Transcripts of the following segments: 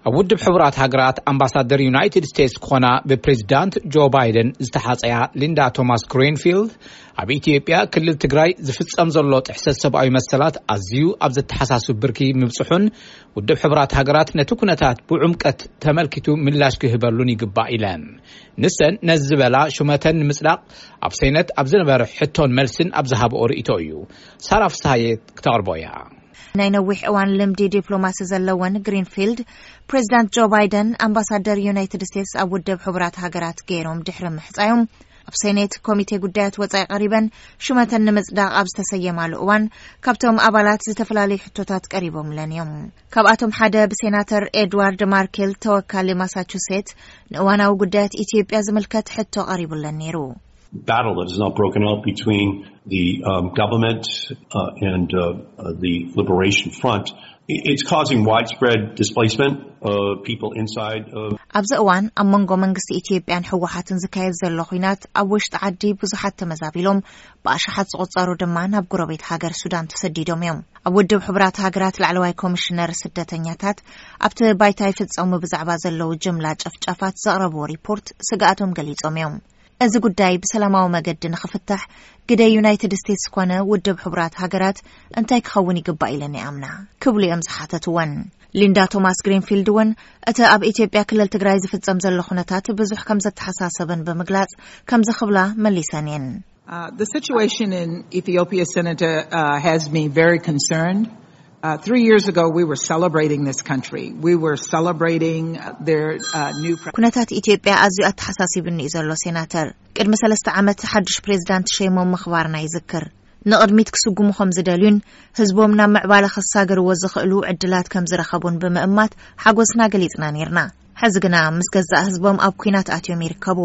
ኣብ ውድብ ሕቡራት ሃገራት ኣምባሳደር ዩናይትድ ስቴትስ ክኾና ብፕሬዚዳንት ጆ ባይደን ዝተሓፀያ ሊንዳ ቶማስ ግሪንፊልድ፣ ኣብ ኢትዮጵያ ክልል ትግራይ ዝፍጸም ዘሎ ጥሕሰት ሰብኣዊ መሰላት ኣዝዩ ኣብ ዘተሓሳስብ ብርኪ ምብጽሑን፣ ውድብ ሕቡራት ሃገራት ነቲ ኩነታት ብዕምቀት ተመልኪቱ ምላሽ ክህበሉን ይግባእ ኢለን። ንሰን ነዚ ዝበላ፣ ሹመተን ንምጽዳቕ ኣብ ሰይነት ኣብ ዝነበረ ሕቶን መልስን ኣብ ዝሃብኦ ርእይቶ እዩ። ሳራ ፍስሃየ ክተቕርቦ እያ። ናይ ነዊሕ እዋን ልምዲ ዲፕሎማሲ ዘለወን ግሪንፊልድ፣ ፕሬዚዳንት ጆ ባይደን ኣምባሳደር ዩናይትድ ስቴትስ ኣብ ውድብ ሕቡራት ሃገራት ገይሮም ድሕሪ ምሕጻዮም፣ ኣብ ሴኔት ኮሚቴ ጉዳያት ወጻኢ ቀሪበን፣ ሹመተን ንምጽዳቕ ኣብ ዝተሰየማሉ እዋን፣ ካብቶም ኣባላት ዝተፈላለዩ ሕቶታት ቀሪቦምለን እዮም። ካብኣቶም ሓደ ብሴናተር ኤድዋርድ ማርኬል፣ ተወካሊ ማሳቹሴት፣ ንእዋናዊ ጉዳያት ኢትዮጵያ ዝምልከት ሕቶ ቀሪቡለን ነይሩ። Battle that is not broken out between the um, government uh, and uh, uh, the Liberation Front. I- It's causing widespread displacement of people inside of ኣብዚ እዋን ኣብ መንጎ መንግስቲ ኢትዮጵያን ህወሓትን ዝካየድ ዘሎ ኹናት ኣብ ውሽጢ ዓዲ ብዙሓት ተመዛቢሎም፣ ብኣሽሓት ዝቑጸሩ ድማ ናብ ጎረቤት ሃገር ሱዳን ተሰዲዶም እዮም። ኣብ ውድብ ሕቡራት ሃገራት ላዕለዋይ ኮሚሽነር ስደተኛታት፣ ኣብቲ ባይታ ይፍጸሙ ብዛዕባ ዘለዉ ጅምላ ጨፍጫፋት ዘቕረብዎ ሪፖርት ስግኣቶም ገሊጾም እዮም። እዚ ጉዳይ ብሰላማዊ መገዲ ንኽፍታሕ፣ ግደ ዩናይትድ ስቴትስ ኮነ ውድብ ሕቡራት ሃገራት እንታይ ክኸውን ይግባእ ኢለን ይኣምና? ክብሉ እዮም ዝሓተትወን። ሊንዳ ቶማስ ግሪንፊልድ እውን እቲ ኣብ ኢትዮጵያ ክልል ትግራይ ዝፍጸም ዘሎ ኩነታት ብዙሕ ከም ዘተሓሳሰበን ብምግላጽ፣ ከምዚ ክብላ መሊሰን እየን። Uh, the situation in Ethiopia, Senator, uh, has me very concerned. Uh, three years ago, we were celebrating this country. We were celebrating uh, their uh, new president. ኩነታት ኢትዮጵያ ኣዝዩ ኣተሓሳሲብኒ እዩ ዘሎ፣ ሴናተር። ቅድሚ ሰለስተ ዓመት ሓድሽ ፕሬዚዳንት ሸይሞም ምኽባርና ይዝክር። ንቕድሚት ክስጉሙ ከም ዝደልዩን ህዝቦም ናብ ምዕባለ ክሳገርዎ ዝኽእሉ ዕድላት ከም ዝረኸቡን ብምእማት ሓጎስና ገሊጽና ነይርና። ሕዚ ግና ምስ ገዛእ ህዝቦም ኣብ ኲናት ኣትዮም ይርከቡ።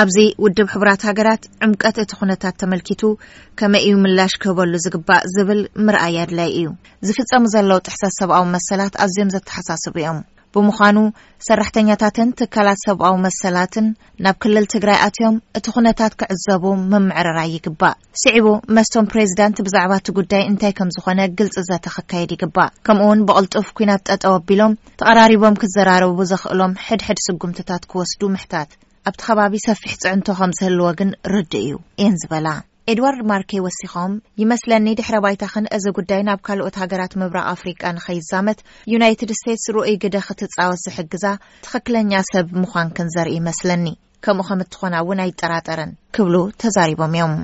ኣብዚ ውድብ ሕቡራት ሃገራት ዕምቀት እቲ ኩነታት ተመልኪቱ ከመይ እዩ ምላሽ ክህበሉ ዝግባእ ዝብል ምርኣይ ኣድላይ እዩ። ዝፍጸሙ ዘለዉ ጥሕሰት ሰብኣዊ መሰላት ኣዝዮም ዘተሓሳስቡ እዮም። ብምዃኑ ሰራሕተኛታትን ትካላት ሰብኣዊ መሰላትን ናብ ክልል ትግራይ ኣትዮም እቲ ኩነታት ክዕዘቡ ምምዕርራይ ይግባእ። ስዒቡ መስቶም ፕሬዚዳንት ብዛዕባ እቲ ጉዳይ እንታይ ከም ዝኾነ ግልፂ ዘተ ክካየድ ይግባእ። ከምኡውን ብቕልጡፍ ኲናት ጠጠው ኣቢሎም ተቐራሪቦም ክዘራረቡ ዘኽእሎም ሕድሕድ ስጉምትታት ክወስዱ ምሕታት። ኣብቲ ከባቢ ሰፊሕ ፅዕንቶ ከም ዝህልዎ ግን ርዱእ እዩ እየን ዝበላ። ኤድዋርድ ማርኬ ወሲኾም፣ ይመስለኒ ድሕረ ባይታኽን እዚ ጉዳይ ናብ ካልኦት ሃገራት ምብራቕ ኣፍሪቃ ንኸይዛመት ዩናይትድ ስቴትስ ርኡይ ግደ ክትጻወት ዝሕግዛ ትኽክለኛ ሰብ ምዃንክን ዘርኢ ይመስለኒ። ከምኡ ከም እትኾና እውን ኣይጠራጠርን ክብሉ ተዛሪቦም እዮም።